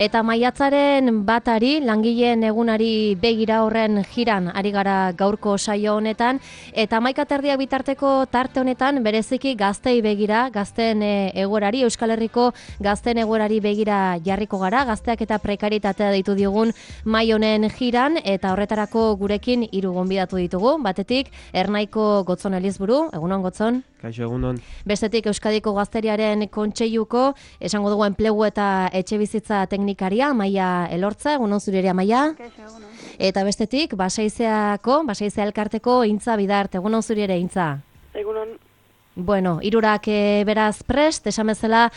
Eta maiatzaren batari, langileen egunari begira horren jiran ari gara gaurko saio honetan, eta 11:30 bitarteko tarte honetan bereziki gaztei begira, gazteen egoerari, Euskal Herriko gazteen egoerari begira jarriko gara, gazteak eta prekaritatea deitu diogun mai honen jiran, eta horretarako gurekin 3 gonbidatu ditugu. Batetik, Ernaiko Gotzon Elizburu, egunon Gotzon. Kaixo, egunon. Bestetik Euskadiko Gazteriaren Kontseiluko, esango dugu enplegu eta etxebizitza teknikaria, Amaia Elortza, egunon zure ere Amaia. Kaixo, egunon. Eta bestetik, Basaizea Elkarteko Intza Bidart, egunon zure ere Intza. Egunon. Bueno, hirurak beraz prest, esan bezala,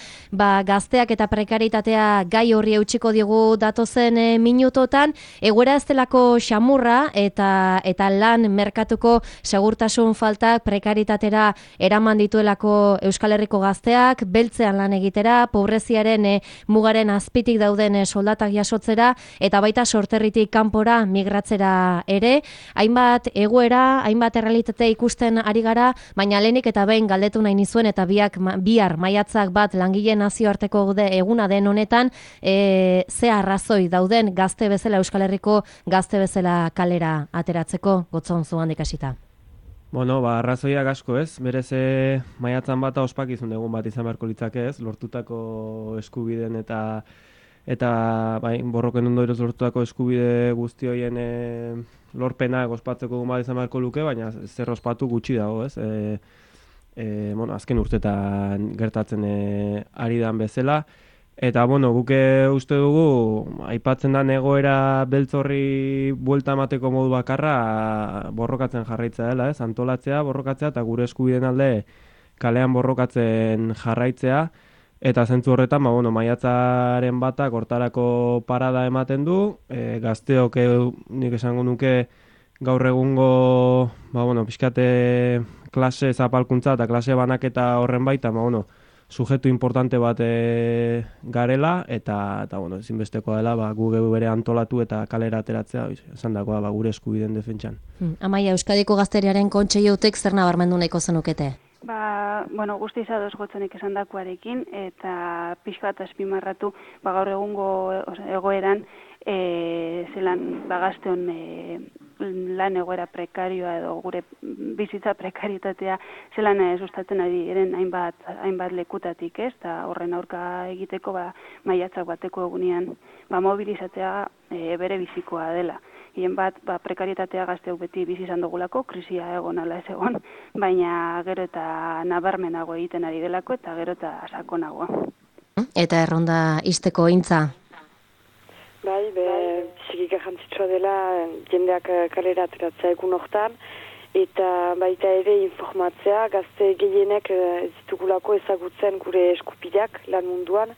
gazteak eta prekaritatea gai horri eutxiko diogu datozen minutotan, egoera ez delako xamurra eta lan merkatuko segurtasun faltak prekaritatera eraman dituelako Euskal Herriko gazteak, beltzean lan egitera, pobreziaren mugaren azpitik dauden soldatak jasotzera, eta baita sorterritik kanpora migratzera ere. Hainbat egoera, hainbat errealitate ikusten ari gara, baina lehenik eta behin galdetu nahi nizuen eta bihar maiatzak bat langileen nazioarteko eguna den honetan, ze arrazoi dauden gazte bezala, Euskal Herriko gazte bezala kalera ateratzeko, Gotzon zu handik hasita. Bueno, arrazoiak asko ez, berez maiatzan bat ospakizun egun bat izan beharko litzake ez, lortutako eskubideen eta borroken ondorioz lortutako eskubide guzti horien lorpenak ospatzeko egun bat izan beharko luke, baina zer ospatu gutxi dago ez. Azken urtetan gertatzen ari dan bezala. Eta, guke uste dugu, aipatzen den egoera beltzorri buelta emateko modu bakarra borrokatzen jarraitzea dela, ez? Antolatzea, borrokatzea, eta gure eskubideen alde kalean borrokatzen jarraitzea. Eta zentzu horretan, maiatzaren batak hortarako parada ematen du, gazteok nik esango nuke gaur egungo, pixkate klase zapalkuntza eta klase banaketa horren baita, sujetu importante bat garela, eta ezinbestekoa dela, gu bere antolatu eta kalera ateratzea, esan dagoa gure eskubideen defentsan. Amaia, Euskadiko Gazteriaren Kontseilutik zer nabarmendu nahiko zenukete? Guztiz ados Gotzonek esan dakuarekin, eta pixka bat azpimarratu, gaur egungo egoeran, zelan gazteon lan egoera prekarioa edo gure bizitza prekaritatea zelan sustatzen ari eren hainbat lekutatik, ez? Eta horren aurka egiteko maiatzak bateko egunean mobilizatzea bere bizikoa dela. Hien bat, prekaritatea gazteok beti bizi izan dugulako, krisia egon ala ez egon, baina gero eta nabarmenago egiten ari delako eta gero eta sakonago. Eta erronda izteko Intza? Biziki garrantzitsua dela jendeak kalera ateratzea egun hortan, eta baita ere informatzea, gazte gehienek ez ditugulako ezagutzen gure eskupideak lan munduan,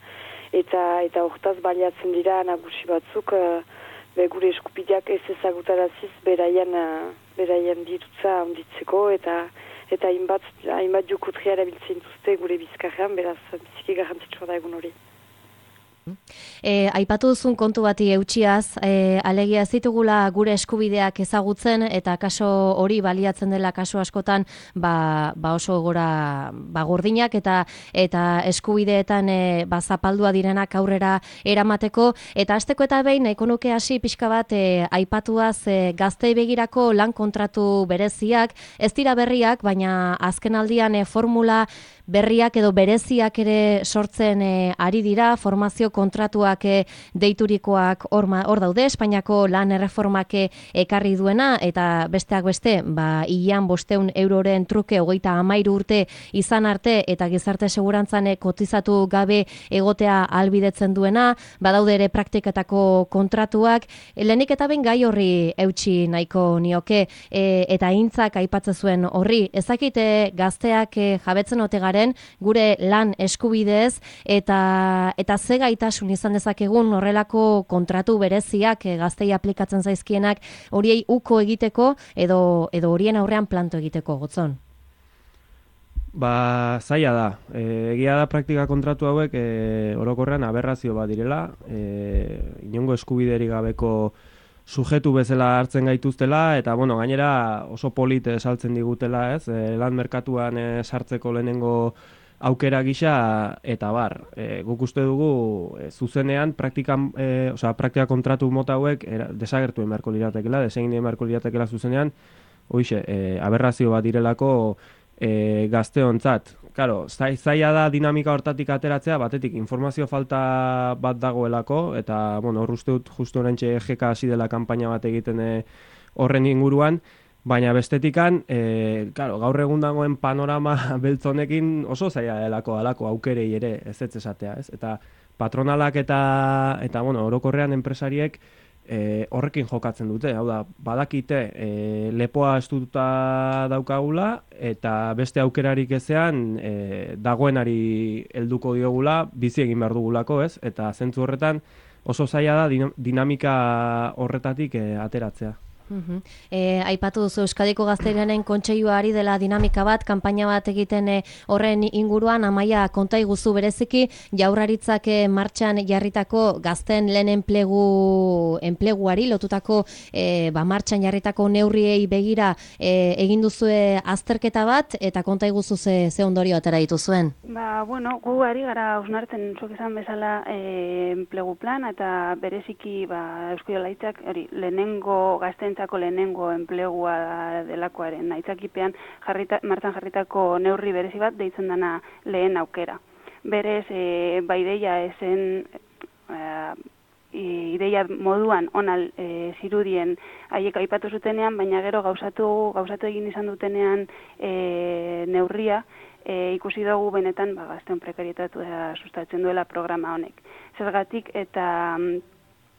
eta hortaz baliatzen dira nagusi batzuk gure eskupideak ez ezagutaraziz beraien dirutza handitzeko, eta hainbat jukutria erabiltzen duzte gure bizkarrean, beraz biziki garrantzitsua da egun hori. Aipatu duzun kontu bati eutxiaz, alegia ez ditugula gure eskubideak ezagutzen eta kaso hori baliatzen dela kaso askotan oso gora gordinak eta eskubideetan zapaldua direnak aurrera eramateko, eta hasteko eta behin nahiko nuke hasi pixka bat aipatuaz gaztei begirako lan kontratu bereziak, ez dira berriak, baina azken aldian formula berriak edo bereziak ere sortzen ari dira, formazio kontratuak deiturikoak hor daude, Espainiako lan erreformak ekarri duena, eta besteak beste, hilean 500 euroren truke 33 urte izan arte, eta gizarte segurantzan kotizatu gabe egotea ahalbidetzen duena, badaude ere praktiketako kontratuak, lehenik eta behin gai horri eutsi nahiko nioke, eta Intzak aipatzen zuen horri, ezakite gazteak jabetzen ote garen gure lan eskubideez, eta ze gaitasun izan dezakegun horrelako kontratu bereziak gaztei aplikatzen zaizkienak horiei uko egiteko edo horien aurrean planto egiteko, Gotzon? Zaila da. Egia da praktika kontratu hauek orokorrean aberrazio bat direla, inongo eskubiderik gabeko sujetu bezala hartzen gaituztela, eta gainera oso polite saltzen digutela, ez? Lan merkatuan sartzeko lehenengo aukera gisa eta bar. Guk uste dugu zuzenean praktika kontratu mota hauek desagertu emarko liratekela, desegin emarko liratekela zuzenean, hoixe, aberrazio bat direlako gazteontzat. Claro, zaila da dinamika hortatik ateratzea, batetik informazio falta bat dagoelako, eta, bueno, hor uste dut justu oraintxe EGK hasi dela kanpaina bat egiten horren inguruan, baina bestetikan, gaur egun dagoen panorama beltzonekin oso zaila delako alako aukerei ere ez esatea, ez? Eta patronalak eta bueno, orokorrean enpresariek horrekin jokatzen dute, hau da, badakite lepoa estututa daukagula eta beste aukerarik ezean dagoenari helduko diogula, bizi egin behar dugulako, ez? Eta zentzu horretan oso zaila da dinamika horretatik ateratzea. Aipatu duzu Euskadiko Gazterianen Kontseilua ari dela dinamika bat, kanpaina bat egiten horren inguruan. Amaia, konta iguzu bereziki Jaurlaritzak martxan jarritako gazten lehen enpleguari lotutako martxan jarritako neurriei begira egin duzue azterketa bat, eta konta iguzu ze ondorio atera dituzuen. Bueno, gu ari gara hausnartzen zuk esan bezala enplegu plan, eta bereziki Eusko Jaurlaritzak lehenengo gazten lehenengo enplegua delakoaren aitzakipean martxan jarritako neurri berezi bat deitzen dana lehen aukera. Berez, ideia esen ideia moduan onal zirudien haiek aipatu zutenean, baina gero gauzatu egin izan dutenean neurria, ikusi dugu benetan gazteon prekarietatea sustatzen duela programa honek. Zergatik eta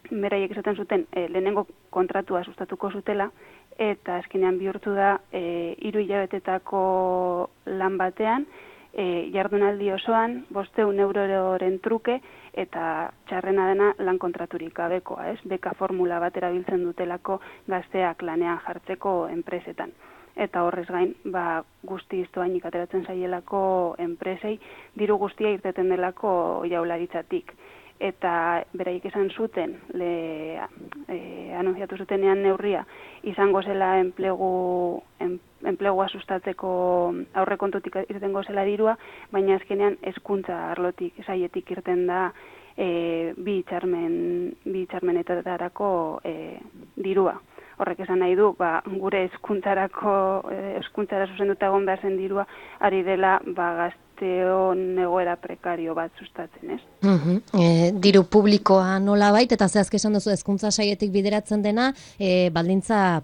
beraiek esaten zuten lehenengo kontratua sustatuko zutela, eta azkenean bihurtu da 3 hilabetetako lan batean, jardunaldi osoan 500 euroren truke, eta txarrena dena lan kontraturik gabekoa, ez? Beka formula bat erabiltzen dutelako gazteak lanean jartzeko enpresetan. Eta horrez gain, guztiz doainik ateratzen zaielako enpresei, diru guztia irteten delako Jaurlaritzatik. Eta beraiek esan zuten, anunciatu zutenean neurria, izango zela enplegua sustatzeko aurrekontutik irtengo zela dirua, baina azkenean hezkuntza arlotik, saietik irten da bi hitzarmenetarako dirua. Horrek esan nahi du, gure hezkuntzara zuzenduta egon behar zen dirua, ari dela gazteon egoera prekario bat sustatzen, ez? Diru publikoa nola bait, eta zehazk esan duzu hezkuntza saietik bideratzen dena, baldintza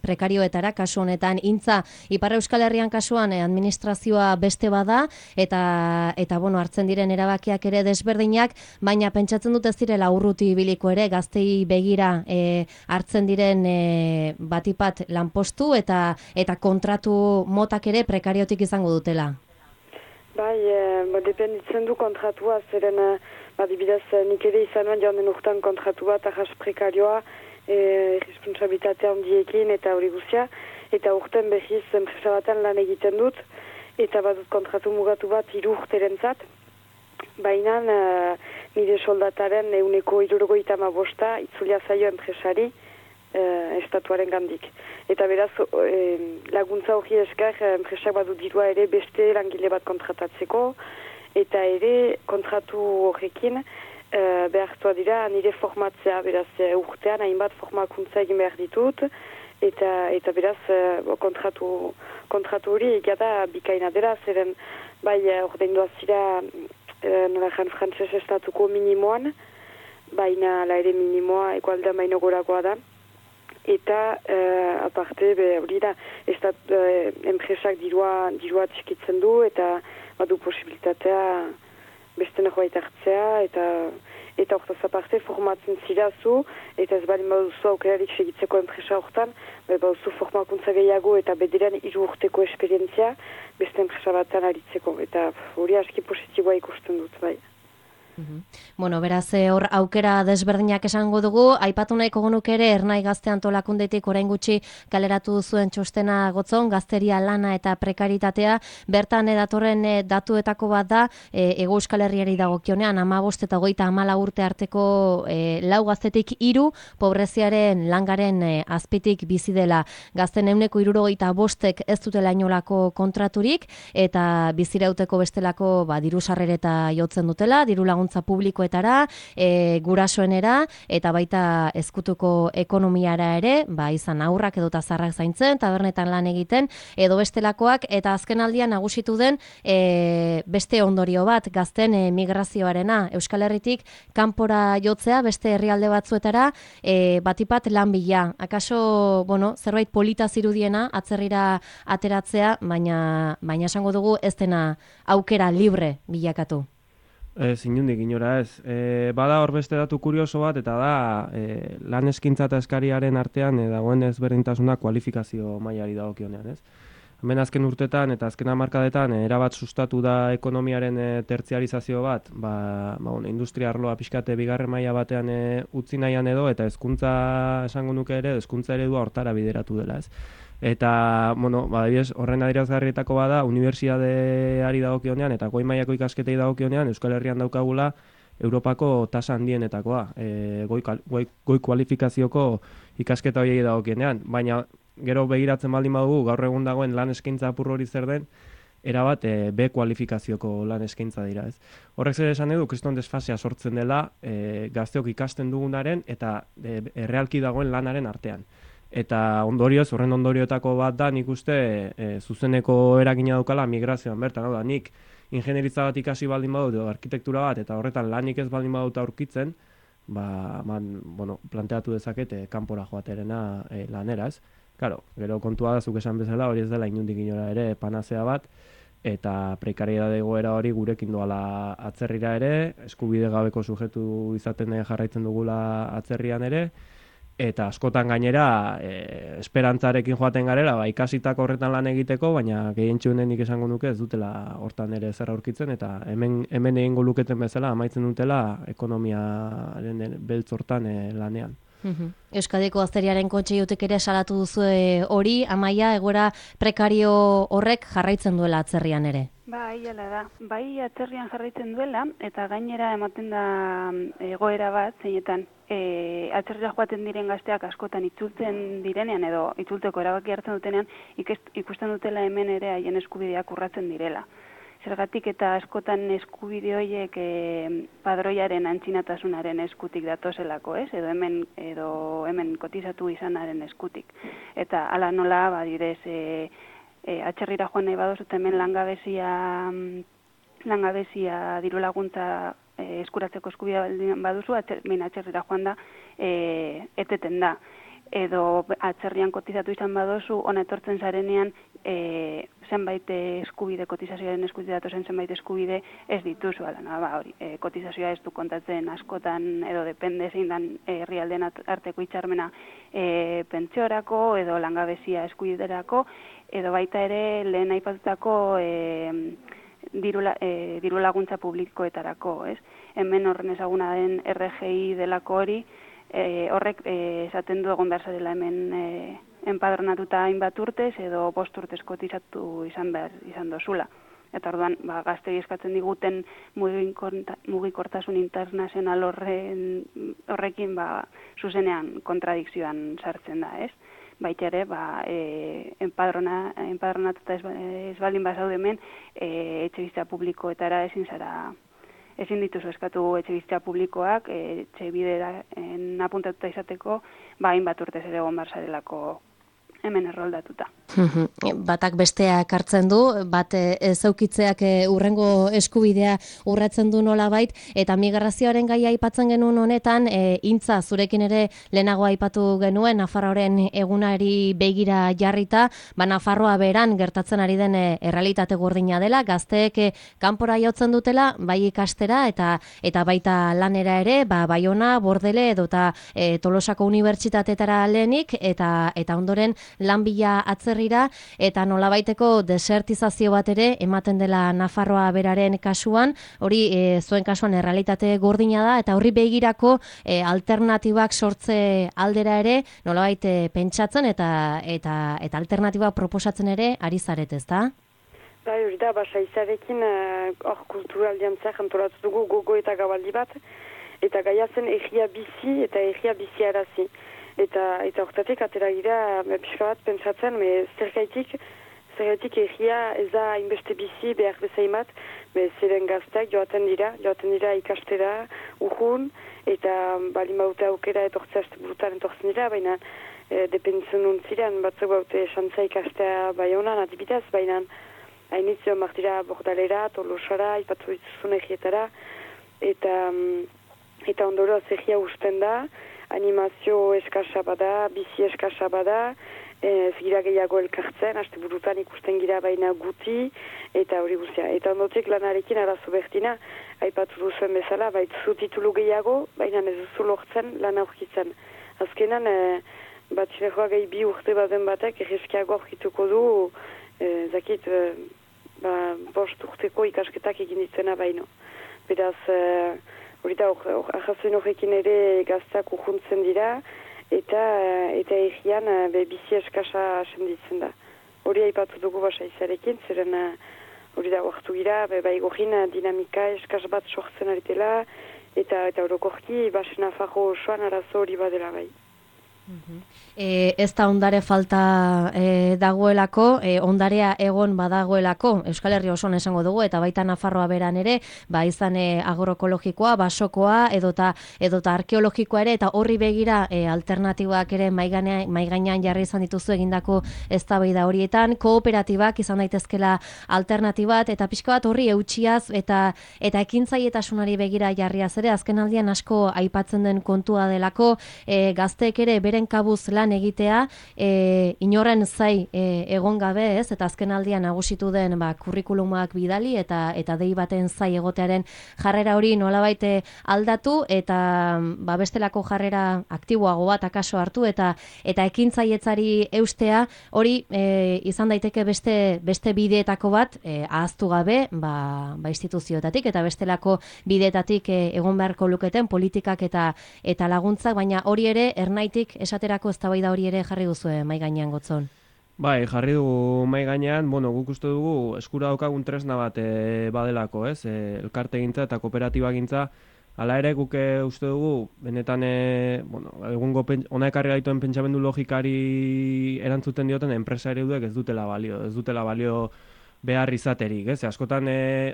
prekarioetara, kasu honetan, intza, Ipar Euskal Herrian kasuan administrazioa beste bada, eta bueno, hartzen diren erabakiak ere desberdinak, baina pentsatzen dut ez direla urruti ibiliko ere, gaztei begira hartzen diren batipat lanpostu, eta kontratu motak ere prekariotik izango dutela. Dependitzen du kontratua, zeren adibidez nik ere izan nuen joan den urtean kontratu bat ahas prekarioa, responsabilitatea handiekin eta hori guzia, eta urten behiz enpresa batean lan egiten dut, eta badut kontratu mugatu bat 3 urterentzat, baina nire soldataren 175 itzulia zaio enpresari estatuaren gandik. Eta beraz, laguntza hori esker, enpresak badu dirua ere beste langile bat kontratatzeko, eta ere kontratu horrekin behartua dira nire formatzea, beraz urtean hainbat formakuntza egin behar ditut, eta beraz kontratu hori egada bikaina dela, zeren ordaindua zira norajan frantzes estatuko minimoan, baina la ere minimoa ekualdean baino gorakoa da. Eta aparte hori da enpresak dirua txikitzen du, eta badu posibilitatea beste norbait hartzea, eta hortaz aparte formatzen zirazu, eta ez bali baduzu aukerarik segitzeko enpresa hortan, baduzu formakuntza gehiago eta bederan 3 urteko esperientzia beste enpresa batean aritzeko, eta hori aski positiboa ikusten dut, bai. Bueno, beraz, hor aukera desberdinak esango dugu, aipatu nahiko genuke ere Ernai Gazte Antolakundetik orain gutxi kaleratu duzuen txostena Gotzon, gazteria lana eta prekaritatea, bertan datorren datuetako bat da, Hego Euskal Herriari dagokionean, 15 eta 34 urte arteko 4 gaztetik 3 pobreziaren langaren azpitik bizi dela. Gazten 75% ez dutela inolako kontraturik, eta bizirauteko bestelako diru sarrereta jotzen dutela, diru laguntza publikoetara, gurasoenera, eta baita ezkutuko ekonomiara ere, izan aurrak edota zarrak zaintzen, tabernetan lan egiten, edo bestelakoak, eta azken aldian nagusitu den beste ondorio bat, gazten migrazioarena, Euskal Herritik kanpora jotzea, beste herrialde batzuetara, batipat lan bila. Akaso, zerbait polita zirudiena, atzerrira ateratzea, baina esango dugu ez dena aukera libre bilakatu. Inundik inora ez. Bada hor beste datu kurioso bat, eta da lan eskintza eta eskariaren artean dagoen ezberdintasuna kualifikazio mailari dagokionean, ez? Hemen azken urtetan eta azken hamarkadetan erabat sustatu da ekonomiaren tertziarizazio bat, industria arloa pixkate bigarren maila batean utzi nahian edo, eta hezkuntza esango nuke ere, hezkuntza eredua hortara bideratu dela, ez? Eta, horren adierazgarrietako bada, unibertsitateari dagokionean eta goi mailako ikasketei dagokionean Euskal Herrian daukagula Europako tasa handienetakoa, goi kualifikazioko ikasketa horiei dagokionean, baina gero begiratzen baldin badugu gaur egun dagoen lan eskaintza apur hori zer den, erabat B kualifikazioko lan eskaintza dira, ez. Horrek zer esan edu, kriston desfasea sortzen dela gazteok ikasten dugunaren eta errealki dagoen lanaren artean. Eta ondorioz, horren ondorioetako bat da, nik uste zuzeneko eragina daukala migrazioan bertan, hau da, nik ingenieritza bat ikasi baldin badut, arkitektura bat, eta horretan lanik ez baldin badut aurkitzen, planteatu dezakete kanpora joaterena lanera, ez? Claro, gero kontua da, zuk esan bezala, hori ez dela inundik inora ere panazea bat, eta prekariedade egoera hori gurekin doala atzerrira ere, eskubide gabeko sujetu izaten jarraitzen dugula atzerrian ere, eta askotan gainera esperantzarekin joaten garela, ikasitako horretan lan egiteko, baina gehientsuenen nik esango nuke ez dutela hortan ere zer aurkitzen, eta hemen egingo luketen bezala amaitzen dutela ekonomiaren beltz hortan lanean. Euskadiko Gazteriaren Kontseilutik ere salatu duzu hori, Amaia, egoera prekario horrek jarraitzen duela atzerrian ere. Bai, hala da. Bai, atzerrian jarraitzen duela, eta gainera ematen da egoera bat, zeinetan atzerrira joaten diren gazteak askotan itzultzen direnean, edo itzulteko erabaki hartzen dutenean, ikusten dutela hemen ere haien eskubideak urratzen direla. Zergatik eta askotan eskubide horiek padroiaren antzinatasunaren eskutik datozelako, ez? Edo hemen kotizatu izanaren eskutik. Eta hala nola, badidez, atzerrira joan nahi badozu, hemen langabezia diru laguntza eskuratzeko eskubidea baduzu, atzerrira joan da, eteten da. Edo atzerrian kotizatu izan badozu, ona etortzen zarenean zenbait eskubide, kotizazioaren eskubide datozen zenbait eskubide ez dituzu, hori, kotizazioa ez du kontatzen askotan, edo depende zein dan herrialdeen arteko hitzarmena pentsiorako, edo langabezia eskubiderako, edo baita ere lehen aipatutako diru laguntza publikoetarako, ez? Hemen horren ezaguna den RGI delako hori, horrek esaten du egon behar zarela hemen enpadronatuta hainbat urtez edo 5 urtez kotizatu izan dozula. Eta orduan, gaztei eskatzen diguten mugikortasun internazional horrekin zuzenean kontradikzioan sartzen da, ez? Baita ere, enpadronatuta ez baldin bazaude hemen, etxebizitza publikoetara ezin dituzu eskatu etxebizitza publikoak, etxebidera apuntatuta izateko, hainbat urtez ere egon behar zarelako hemen erroldatuta. Batak besteak hartzen du, bat zeukitzeak urrengo eskubidea urratzen du nolabait, eta migrazioaren gaia aipatzen genuen honetan, Intza, zurekin ere lehenago aipatu genuen, Nafarroaren egunari begira jarrita, Nafarroa beran gertatzen ari den errealitate gordina dela, gazteek kanpora jotzen dutela, bai ikastera eta baita lanera ere, Baiona, Bordele edota Tolosako unibertsitateetara lehenik, eta ondoren lan bila atzerri Herrira, eta nolabaiteko desertizazio bat ere ematen dela Nafarroa beraren kasuan, hori zuen kasuan errealitate gordina da, eta horri begirako alternatibak sortze aldera ere nolabait pentsatzen eta alternatiba proposatzen ere ari zaret, ezta? Bai, hori da, Saizarekin hor kulturaldiantzak antolatu dugu gogo eta gabaldi bat, eta gaia zen egia bizi eta egia bizi arazi. Eta hortatik atera gira pixka bat pentsatzen, zergaitik egia ez da inbeste bizi behar bezaimat, ziren gazteak joaten dira ikastera, urrun, eta bali maute aukera etortzea burutan etortzen dira, baina dependitzen nuntziren, batzuk baute xantza ikastea bai honan adibidez, baina hainitzio martira Bordalera, Tolosara, ipatu dituzun egietara, eta ondoro egia usten da, animazio eskasa bada, bizi eskasa bada, gira gehiago elkartzen, haste burutan ikusten gira baina guti, eta hori guztia. Eta ondotik lanarekin arazo bertina, aipatu duzuen bezala, baitzu titulu gehiago, baina ez duzu lortzen lan aurkitzen. Azkenan, batxileroa gehi 2 urte baden batek, erreskiago aurkituko du, zakit, 5 urteko ikasketak egin ditzena baino. Beraz, hori da, ahazen horrekin ere gaztak urruntzen dira, eta egian bizi eskasa senditzen da. Hori aipatu dugu Saizarekin, zeren hori da, oartu gira, gorin dinamika eskas bat sortzen aritela, eta orokorki Nafarro osoan arazo hori badela bai. Ez da ondare falta dagoelako, ondarea egon badagoelako, Euskal Herri osoan esango dugu, eta baita Nafarroa beran ere, izan agroekologikoa, basokoa, edota arkeologikoa ere, eta horri begira alternatibak ere maigainean jarri izan dituzu egindako eztabaida horietan, kooperatibak izan daitezkela alternatibat, eta pixka bat horri eutxiaz, eta ekintzaietasunari begira jarriaz ere, azken aldian asko aipatzen den kontua delako, gazteek ere beren kabuz lan egitea, inorren zai egon gabe, ez, eta azken aldian nagusitu den kurrikulumak bidali eta dei baten zai egotearen jarrera hori nolabait aldatu, eta bestelako jarrera aktiboago bat akaso hartu, eta ekintzaietzari eustea, hori izan daiteke beste bideetako bat ahaztu gabe, instituzioetatik, eta bestelako bideetatik egon beharko luketen politikak eta laguntzak, baina hori ere ernaitik esaterako eztabaida hori ere jarri duzu mahai gainean Gotzon. Bai, jarri dugu mahai gainean, guk uste dugu eskura daukagun tresna bat badelako, ez? Elkartegintza eta kooperatibagintza, hala ere guk uste dugu, benetan, egungo ona ekarri gaituen pentsamendu logikari erantzuten dioten enpresa ereduek ez dutela balio behar izaterik, ez? Askotan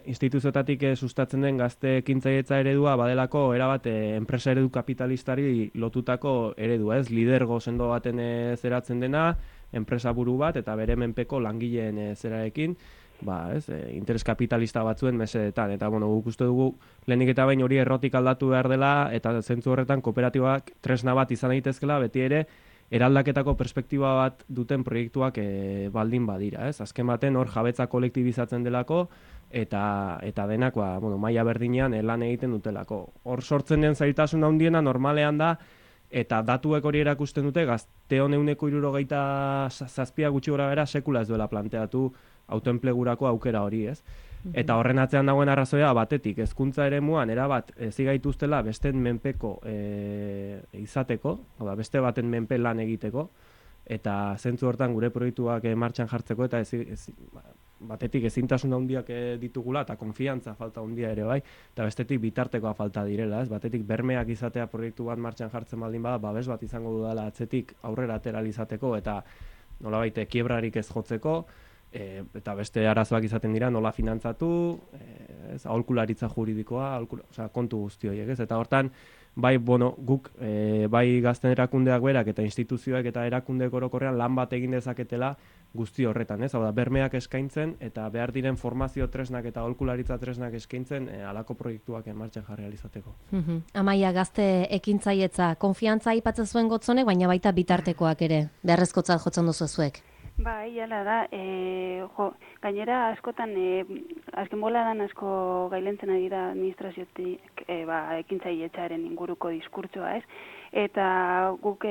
instituzioetatik sustatzen den gazte ekintzailetza eredua badelako erabat enpresa eredu kapitalistari lotutako eredua, ez? Lidergo sendo baten zeratzen dena, enpresa buru bat eta bere menpeko langileen zerarekin, interes kapitalista batzuen mesedetan, eta guk uste dugu lehenik eta behin hori errotik aldatu behar dela, eta zentzu horretan kooperatibak tresna bat izan daitezkela, beti ere eraldaketako perspektiba bat duten proiektuak baldin badira, ez? Azken baten hor jabetza kolektibizatzen delako eta denak maila berdinean lan egiten dutelako. Hor sortzen den zailtasun handiena normalean da, eta datuek hori erakusten dute, gazteon 67 gutxi gora bera sekula ez duela planteatu autoenplegurako aukera hori, ez? Eta horren atzean dagoen arrazoia batetik, hezkuntza eremuan erabat zigaituztela besteen menpeko izateko, beste baten menpe lan egiteko, eta zentzu hortan gure proiektuak martxan jartzeko, eta batetik ezintasun handiak ditugula, eta konfiantza falta handia ere bai, eta bestetik bitartekoa falta direla, ez? Batetik bermeak izatea proiektu bat martxan jartzen baldin bada, babes bat izango dudala atzetik aurrera atera izateko, eta nolabait kiebrarik ez jotzeko, eta beste arazoak izaten dira nola finantzatu, aholkularitza juridikoa, kontu guzti horiek, ez? Eta hortan, guk, bai gazten erakundeak berak eta instituzioek eta erakundeek orokorrean lan bat egin dezaketela guzti horretan, ez? Hau da, bermeak eskaintzen eta behar diren formazio tresnak eta aholkularitza tresnak eskaintzen halako proiektuak martxan jarri ahal izateko. Amaia, gazte ekintzailetza, konfiantza aipatzen zuen Gotzonek, baina baita bitartekoak ere, beharrezkotzat jotzen duzu zuek. Bai, hala da, gainera askotan, azken boladan asko gailentzen ari da administraziotik ekintzailetzaren inguruko diskurtsoa, ez? Eta guk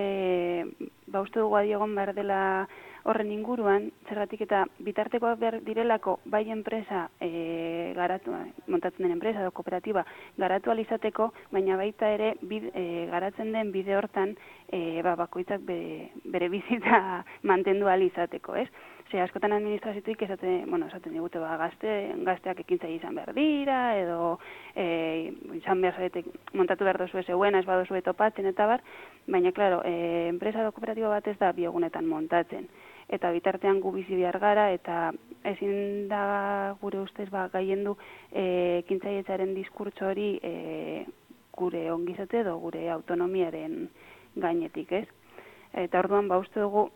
uste dugu adiegon behar dela horren inguruan, zergatik eta bitartekoak behar direlako bai enpresa montatzen den enpresa edo kooperatiba garatu alizateko, baina baita ere garatzen den bide hortan bakoitzak bere bizitza mantendu alizateko, ez? Askotan administraziotik esaten digute gazteak ekintzaile izan behar dira, edo izan behar zaretek montatu behar dozu zeuen, ez badozu topatzen eta bar, baina, klaro, enpresa edo kooperatiba bat ez da biegunetan montatzen. Eta bitartean gu bizi behar gara, eta ezin da gure ustez gaiendu ekintzailetzaren diskurtso hori gure ongizate edo gure autonomiaren gainetik, ez? Eta orduan, uste dugu,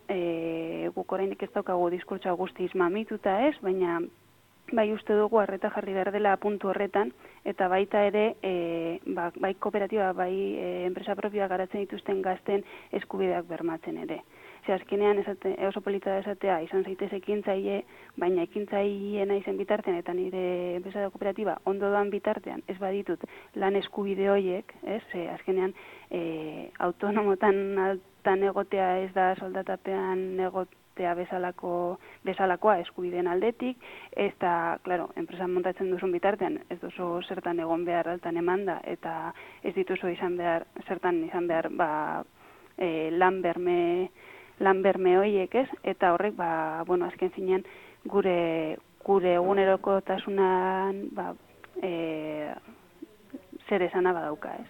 guk orainik ez daukagu diskurtsoa guztiz mamituta ez, baina bai uste dugu arreta jarri behar dela puntu horretan, eta baita ere, bai kooperatiba, bai enpresa propioa garatzen dituzten gazten eskubideak bermatzen ere. Azkenean oso polita da esatea, izan zaitez ekintzaile, baina ekintzaileena izen bitartean, eta nire enpresa da kooperatiba ondo doan bitartean, ez baditut lan eskubide horiek, ez? Azkenean autonomotan altan egotea ez da soldatapean egotea bezalakoa eskubideen aldetik, ez da, klaro, enpresan montatzen duzun bitartean, ez duzu zertan egon behar altan emanda, eta ez dituzu zertan izan behar lan berme horiek, ez? Eta horrek, azken finean, gure egunerokotasunan zer esana badauka, ez?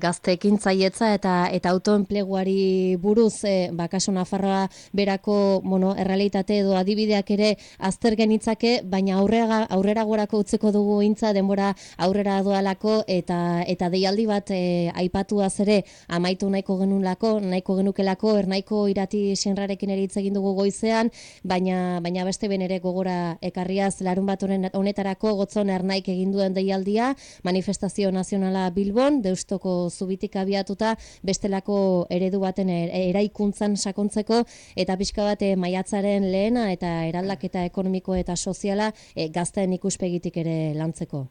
Gazte ekintzailetza eta autoenpleguari buruz, kasu Nafarroa berako errealitate edo adibideak ere azter genitzake, baina aurrera gorako utzeko dugu intza denbora aurrera doalako, eta deialdi bat aipatuaz ere amaitu nahiko genukelako, Ernaiko Irati Sinrarekin ere hitz egin dugu goizean, baina beste ben ere gogora ekarriaz larun bat honetarako Gotzon Ernaik egin duen deialdia, manifestazio nazionala Bilbon, Deustoko zubitik abiatuta, bestelako eredu baten eraikuntzan sakontzeko, eta pixka bat maiatzaren lehena eta eraldaketa ekonomiko eta soziala gazteen ikuspegitik ere lantzeko.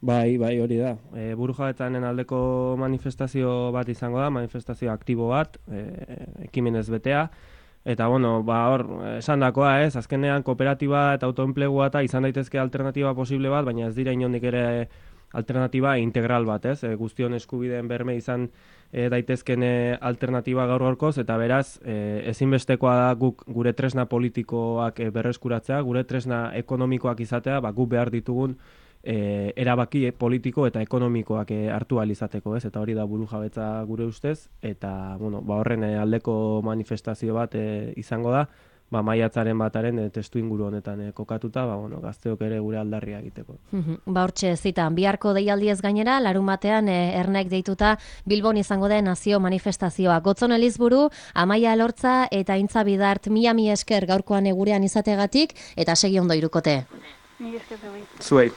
Bai, hori da. Burujabetzanen aldeko manifestazio bat izango da, manifestazio aktibo bat, ekimenez betea, eta hor, esandakoa ez, azkenean kooperatiba eta autoenplegua eta izan daitezke alternatiba posible bat, baina ez dira inondik ere alternatiba integral bat, ez? Guztion eskubideen berme izan daitezken alternatiba gaur-gaurkoz, eta beraz, ezinbestekoa da gure tresna politikoak berreskuratzea, gure tresna ekonomikoak izatea, guk behar ditugun erabaki politiko eta ekonomikoak hartu ahal izateko, ez? Eta hori da burujabetza gure ustez, eta horren aldeko manifestazio bat izango da, maiatzaren bataren testu inguru honetan kokatuta, gazteok ere gure aldarria egiteko. Hortxe zitan, biharko deialdiez gainera, larun batean Ernaik deituta Bilbon izango den nazio manifestazioa. Gotzon Elizburu, Amaia Elortza eta Intza Bidart, mila esker gaurkoan gurean izategatik, eta segi ondo irukote. Mila esker zuei.